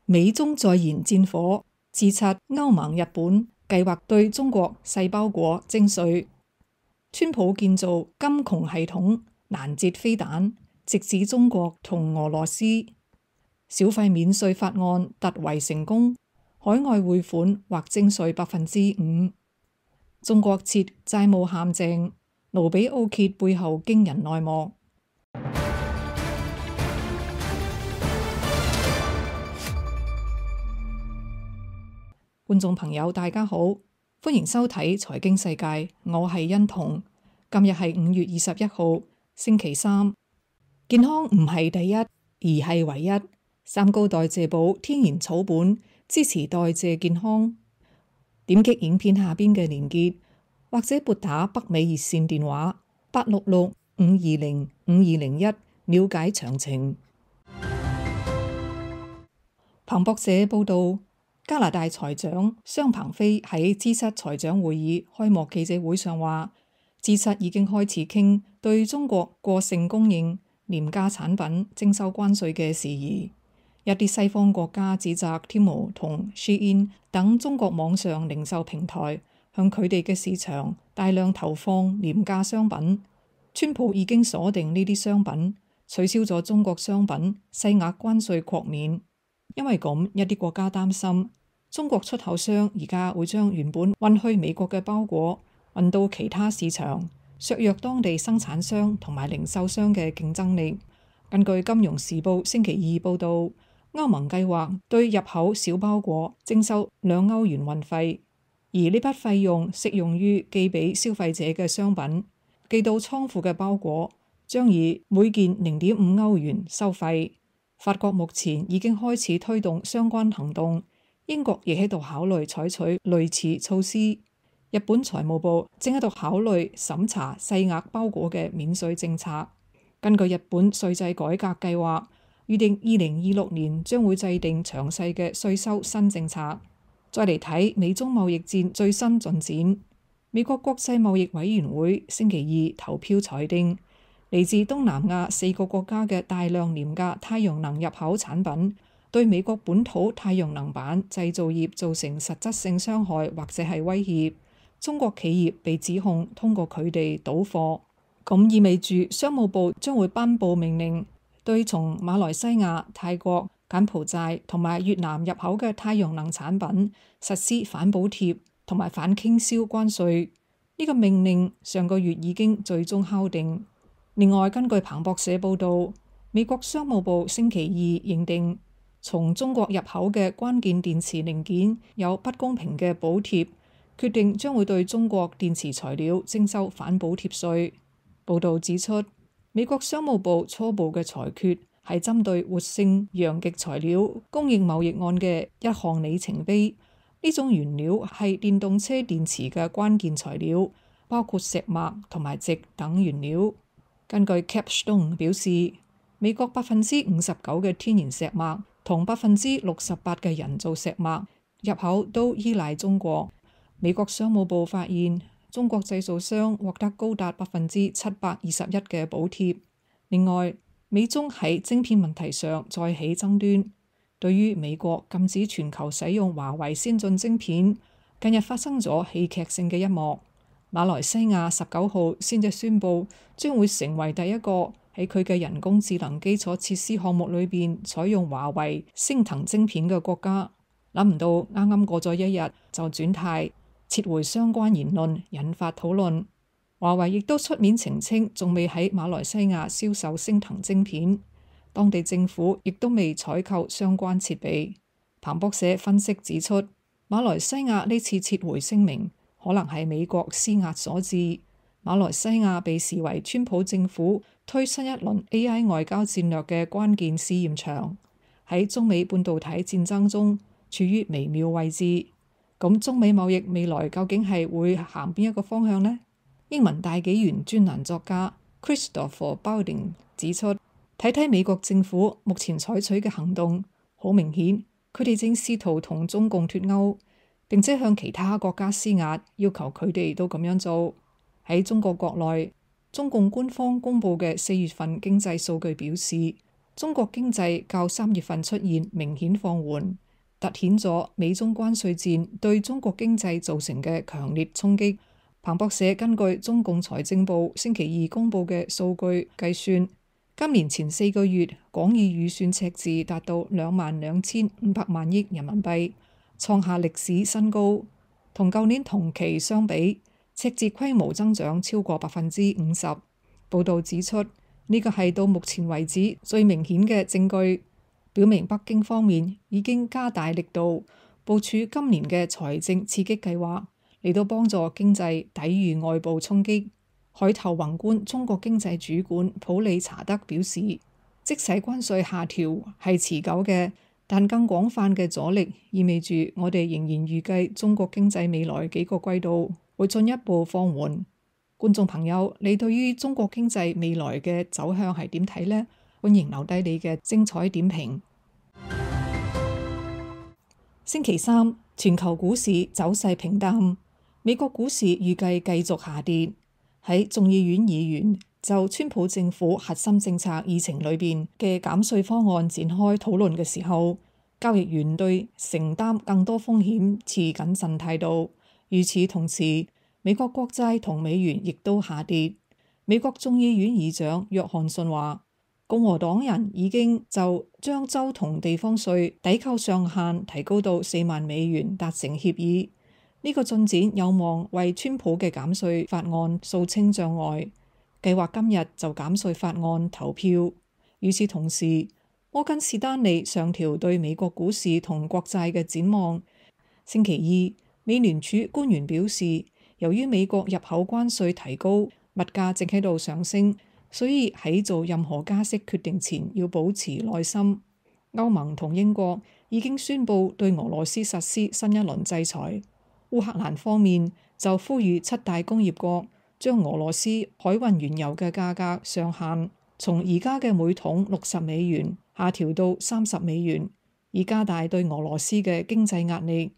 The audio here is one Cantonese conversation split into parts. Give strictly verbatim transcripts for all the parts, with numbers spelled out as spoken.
美中再燃戰火，自察歐盟日本計劃對中國細胞果徵稅。川普建造金窮系統攔截飛彈，直指中國同俄羅斯。小費免稅法案突圍成功，海外匯款或徵稅百分之五。中國設債務陷阱，盧比奧揭背後驚人內幕。觀眾朋友大家好，歡迎收睇財經世界，我係欣彤。今日係五月二十一號，星期三。健康唔係第一，而係唯一。三高代謝寶天然草本，支持代謝健康。點擊影片下邊嘅連結，或者撥打北美熱線電話八六六五二零五二零一了解詳情。彭博社報道，加拿大財長商鵬飛喺 G 七財長會議開幕記者會上話 ，G 七已經開始傾對中國過剩供應廉價產品徵收關稅嘅事宜。一啲西方國家指責 Temu 同 Shein 等中國網上零售平台向佢哋嘅市場大量投放廉價商品。川普已經鎖定呢啲商品，取消咗中國商品細額關稅豁免。因為咁，一啲國家擔心中國出口商而家會將原本運去美國嘅包裹運到其他市場，削弱當地生產商同埋零售商嘅競爭力。根據《金融時報》星期二報導，歐盟計劃對入口小包裹徵收兩歐元運費，而呢筆費用適用於寄俾消費者嘅商品。寄到倉庫嘅包裹將以每件零點五歐元收費。法國目前已經開始推動相關行動，英國亦喺度考慮採取類似措施。日本財務部正喺度考慮審查細額包裹嘅免稅政策。根據日本稅制改革計劃，預定二零二六年將會制定詳細嘅稅收新政策。再嚟睇美中貿易戰最新進展，美國國際貿易委員會星期二投票裁定，嚟自東南亞四個國家嘅大量廉價太陽能入口產品，對美國本土太陽能板製造業造成實質性傷害或者係威脅。中國企業被指控通過佢哋倒貨，咁意味住商務部將會頒布命令，對從馬來西亞、泰國、柬埔寨同埋越南入口嘅太陽能產品實施反補貼同埋反傾銷關稅。呢個命令上個月已經最終敲定。另外，根據彭博社報導，美國商務部星期二認定從中國入口嘅關鍵電池零件有不公平嘅補貼，決定將會對中國電池材料徵收反補貼稅。報導指出，美國商務部初步嘅裁決係針對活性陽極材料供應貿易案嘅一項里程碑。呢種原料係電動車電池嘅關鍵材料，包括石墨同埋矽等原料。根據 Capstone 表示，美國百分之五十九嘅天然石墨同百分之六十八嘅人造石墨入口都依賴中國。美國商務部發現，中國製造商獲得高達百分之七百二十一嘅補貼。另外，美中喺晶片問題上再起爭端。對於美國禁止全球使用華為先進晶片，近日發生咗戲劇性嘅一幕。馬來西亞十九號先至宣布將會成為第一個喺佢嘅人工智能基礎設施項目裏邊採用華為昇騰晶片嘅國家。諗唔到啱啱過咗一日就轉態撤回相關言論，引發討論。華為亦都出面澄清，仲未喺馬來西亞銷售昇騰晶片，當地政府亦都未採購相關設備。彭博社分析指出，馬來西亞呢次撤回聲明可能係美國施壓所致。馬來西亞被視為川普政府推新一輪 A I 外交戰略嘅關鍵試驗場，喺中美半導體戰爭中處於微妙位置。咁中美貿易未來究竟係會行邊一個方向呢？英文大紀元專欄作家 Christopher Balding 指出，睇睇美國政府目前採取嘅行動，好明顯佢哋正試圖同中共脫鈎，並且向其他國家施壓，要求佢哋都咁樣做。喺中國國內，中共官方公佈嘅四月份經濟數據表示，中國經濟較三月份出現明顯放緩，凸顯咗美中關稅戰對中國經濟造成嘅強烈衝擊。彭博社根據中共財政部星期二公佈嘅數據計算，今年前四個月廣義預算赤字達到兩萬兩千五百萬億人民幣，創下歷史新高。同舊年同期相比，赤字規模增長超過百分之五十。報導指出，呢個係到目前為止最明顯嘅證據，表明北京方面已經加大力度部署今年嘅財政刺激計劃，嚟到幫助經濟抵禦外部衝擊。海投宏觀中國經濟主管普里查德表示，即使關稅下調係持久嘅，但更廣泛嘅阻力意味住我哋仍然預計中國經濟未來幾個季度會進一步放緩。觀眾朋友，你對於中國經濟未來嘅走向係點睇呢？歡迎留低你嘅精彩點評。星期三，全球股市走勢平淡，美國股市預計繼續下跌。喺眾議院議員就川普政府核心政策議程裏邊嘅減稅方案展開討論嘅時候，交易員對承擔更多風險持謹慎態度。與此同時，美國國債同美元亦都下跌。美國眾議院議長約翰遜話，共和黨人已經就將州同地方稅抵扣上限提高到四萬美元達成協議。呢個進展有望為川普嘅減稅法案掃清障礙。計劃今日就減稅法案投票。與此同時，摩根士丹利上調對美國股市同國債嘅展望。星期二，美聯儲官員表示，由於美國入口關稅提高，物價正喺度上升，所以喺做任何加息決定前要保持耐心。歐盟同英國已經宣布對俄羅斯實施新一輪制裁。烏克蘭方面就呼籲七大工業國將俄羅斯海運原油嘅價格上限從而家嘅每桶六十美元下調到三十美元，以加大對俄羅斯嘅經濟壓力。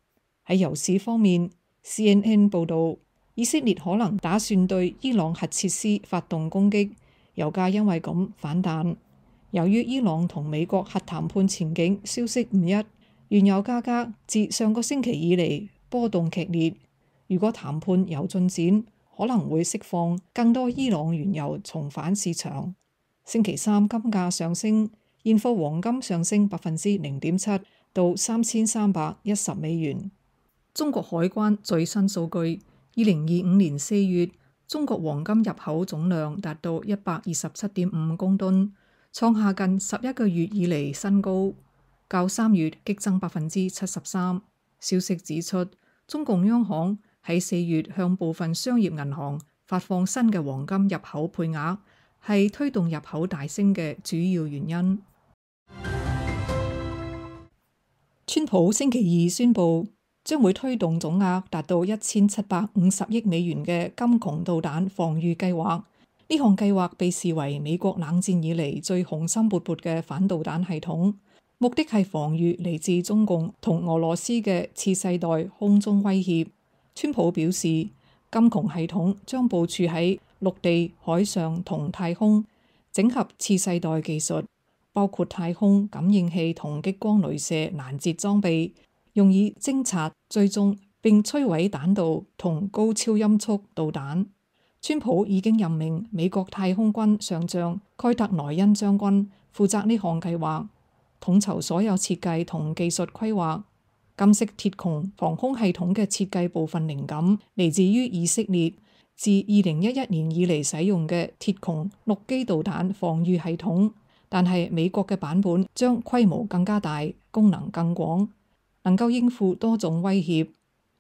喺油市方面， C N N 報導，以色列可能打算對伊朗核設施發動攻擊，油價因為咁反彈。由於伊朗同美國核談判前景消息唔一，原油價格自上個星期以嚟波動劇烈。如果談判有進展，可能會釋放更多伊朗原油重返市場。星期三金價上升，現貨黃金上升百分之零點七到三千三百一十美元。中國海關最新數據，二零二五年四月，中國黃金入口總量達到一百二十七點五公噸，創下近十一個月以嚟新高，較三月激增百分之七十三。消息指出，中共央行喺四月向部分商業銀行發放新嘅黃金入口配額，係推動入口大升嘅主要原因。川普星期二宣布將會推動總額達到一千七百五十億美元嘅金窮導彈防禦計劃。呢項計劃被視為美國冷戰以嚟最雄心勃勃嘅反導彈系統，目的係防禦嚟自中共同俄羅斯嘅次世代空中威脅。川普表示，金窮系統將部署喺陸地、海上同太空，整合次世代技術，包括太空感應器同激光雷射攔截裝備，用以偵察、追蹤並摧毀彈道同高超音速導彈。川普已經任命美國太空軍上將蓋特萊恩將軍負責呢項計劃，統籌所有設計同技術規劃。金色鐵穹防空系統嘅設計部分靈感嚟自於以色列自二零一一年以嚟使用嘅鐵穹陸基導彈防禦系統，但係美國嘅版本將規模更加大，功能更廣，能夠應付多種威脅。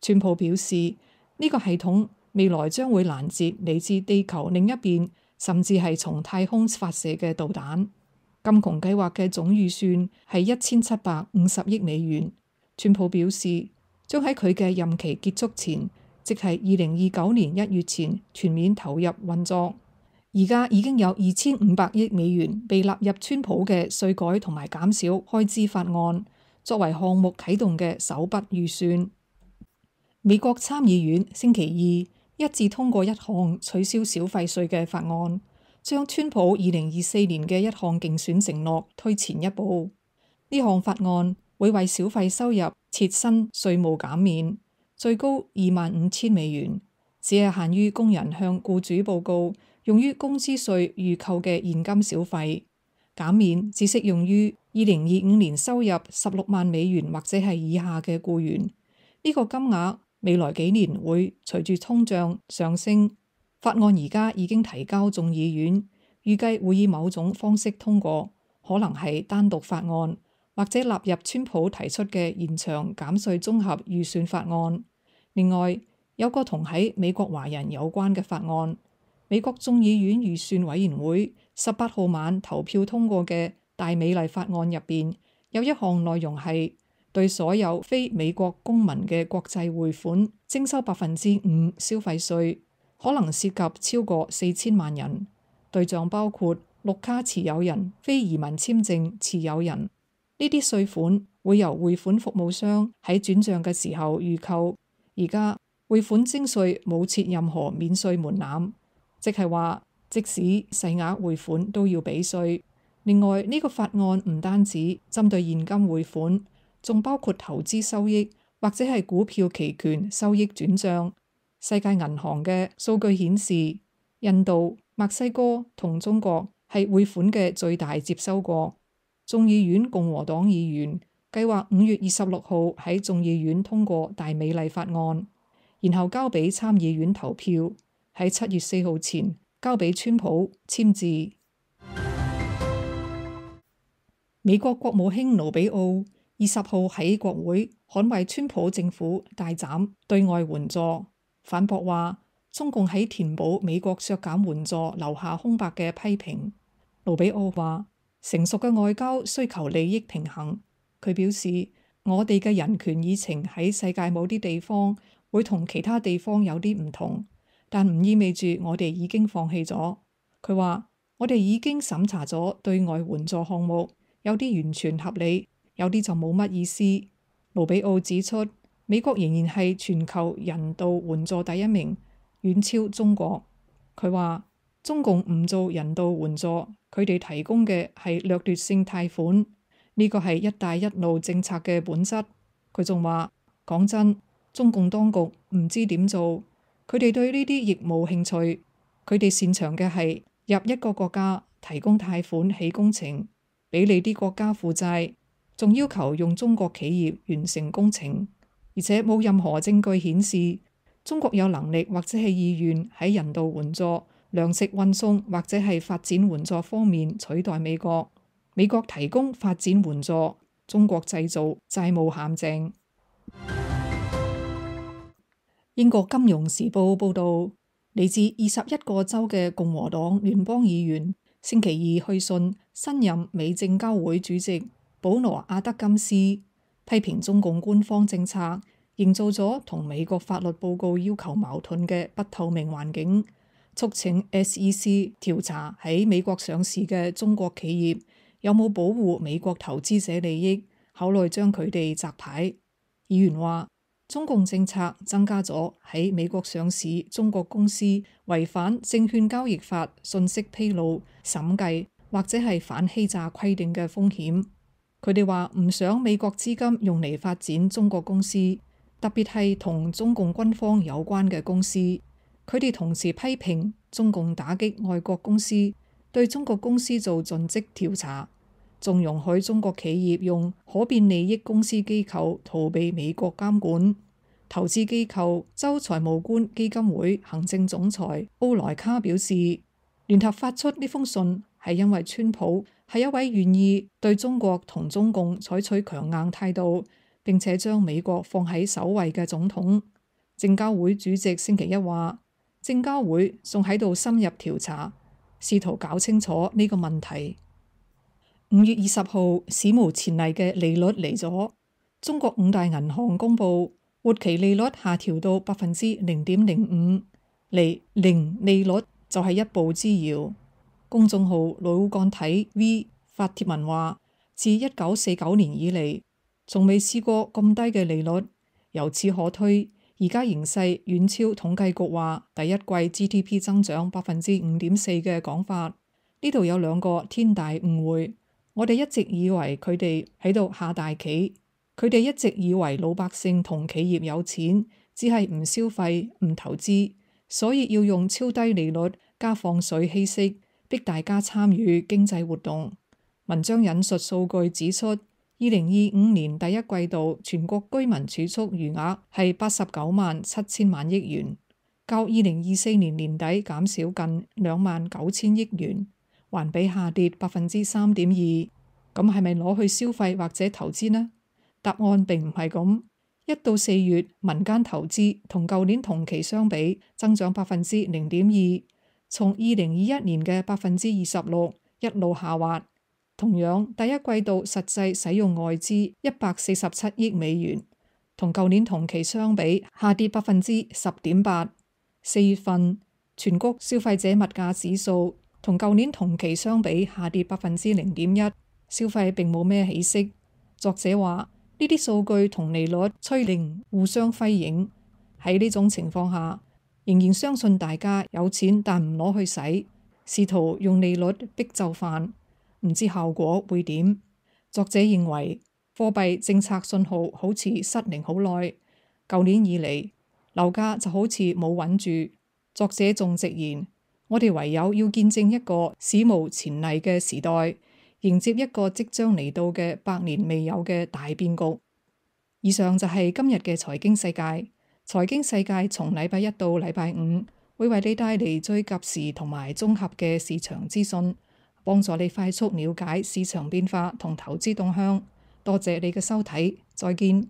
川普表示，呢個系統未來將會攔截嚟自地球另一邊，甚至係從太空發射嘅導彈。金窮計劃嘅總預算係一千七百五十億美元。川普表示，將喺佢嘅任期結束前，即係二零二九年一月前全面投入運作。而家已經有二千五百億美元被納入川普嘅稅改同埋減少開支法案，作為項目啟動嘅首筆預算。美國參議院星期二一致通過一項取消小費稅嘅法案，將川普二零二四年嘅一項競選承諾推前一步。呢項法案會為小費收入設新稅務減免，最高二萬五千美元，只係限於工人向僱主報告用於工資稅預扣嘅現金小費。減免只適用於二零二五年收入十六萬美元或者係以下嘅僱員。呢、這個金額未來幾年會隨住通脹上升。法案而家已經提交眾議院，預計會以某種方式通過，可能係單獨法案，或者納入川普提出嘅延長減稅綜合預算法案。另外，有個同喺美國華人有關嘅法案，美國眾議院預算委員會十八號晚投票通過嘅大美麗法案入邊，有一項內容係對所有非美國公民嘅國際匯款徵收百分之五消費稅，可能涉及超過四千萬人，對象包括綠卡持有人、非移民簽證持有人。呢啲稅款會由匯款服務商喺轉賬嘅時候預扣。而家匯款徵稅冇設任何免稅門檻，即係話即使細額匯款都要俾稅。另外，呢、這個法案唔單止針對現金匯款，仲包括投資收益或者係股票期權收益轉賬。世界銀行嘅數據顯示，印度、墨西哥同中國係匯款嘅最大接收國。眾議院共和黨議員計劃五月二十六號喺眾議院通過大美麗法案，然後交俾參議院投票，喺七月四號前交俾川普簽字。美國國務卿盧比奧二十號喺國會捍衛川普政府大斬對外援助，反駁話中共喺填補美國削減援助留下空白嘅批評。盧比奧話，成熟嘅外交需求利益平衡。佢表示，我哋嘅人權議程喺世界某啲地方會同其他地方有啲唔同，但唔意味住我哋已經放棄咗。佢話，我哋已經審查咗對外援助項目，有啲完全合理，有啲就冇乜意思。盧比奧指出，美國仍然係全球人道援助第一名，遠超中國。佢話，中共唔做人道援助，佢哋提供嘅係掠奪性貸款，呢個係一帶一路政策嘅本質。佢仲話，講真，中共當局唔知點做，佢哋對呢啲亦冇興趣，佢哋擅長嘅係入一個國家提供貸款起工程，俾你啲國家負債，仲要求用中國企業完成工程，而且冇任何證據顯示中國有能力或者係意願喺人道援助、糧食運送或者係發展援助方面取代美國。美國提供發展援助，中國製造債務陷阱。英國金融時報報道，嚟自二十一個州嘅共和黨聯邦議員星期二去信新任美證交會主席保羅阿德金斯，批評中共官方政策營造咗同美國法律報告要求矛盾嘅不透明環境，促請 S E C 調查喺美國上市嘅中國企業有冇保護美國投資者利益，考慮將佢哋摘牌。議員話，中共政策增加咗喺美國上市中國公司違反證券交易法信息披露、審計或者係反欺詐規定嘅風險。佢哋話唔想美國資金用嚟發展中國公司，特別係同中共軍方有關嘅公司。佢哋同時批評中共打擊外國公司，對中國公司做盡職調查，仲容許中國企業用可變利益公司機構逃避美國監管。投資機構州財務官基金會行政總裁奧萊卡表示，聯合發出呢封信係因為川普係一位願意對中國同中共採取強硬態度，並且將美國放喺首位嘅總統。證交會主席星期一話，證交會仲喺度深入調查，試圖搞清楚呢個問題。五月二十號，史無前例嘅利率嚟咗，中國五大銀行公佈活期利率下調到百分之零點零五，離零利率就係一步之遙。公眾號腦幹體 V 發帖文話，自一九四九年以嚟，從未試過咁低嘅利率，由此可推，而家形勢遠超統計局話第一季 G D P 增長百分之五點四嘅講法。呢度有兩個天大誤會。我哋一直以為佢哋喺度下大棋，佢哋一直以為老百姓同企業有錢，只係唔消費唔投資，所以要用超低利率加放水稀釋，逼大家參與經濟活動。文章引述數據指出，二零二五年第一季度全國居民儲蓄餘額係八十九萬七千萬億元，較二零二四年年底減少近兩萬九千億元。環比下跌百分之三點二，咁係咪攞去消費或者投資呢？答案並唔係咁。一到四月，民間投資同舊年同期相比增長百分之零點二，從二零二一年嘅百分之二十六一路下滑。同樣，第一季度實際使用外資一百四十七億美元，同舊年同期相比下跌百分之十點八。四月份全國消費者物價指數同舊年同期相比下跌百分之零點一，消費並冇咩起色。作者話呢啲數據同利率趨零互相輝映，喺呢種情況下，仍然相信大家有錢但唔攞去使，試圖用利率逼就範，唔知效果會點。作者認為貨幣政策信號好似失靈好耐，舊年以嚟樓價就好似冇穩住。作者仲直言，我哋唯有要見證一個史無前例嘅時代，迎接一個即將嚟到嘅百年未有嘅大變局。以上就係今日嘅財經世界。財經世界從禮拜一到禮拜五會為你帶嚟最及時同埋綜合嘅市場資訊，幫助你快速了解市場變化同投資動向。多謝你嘅收睇，再見。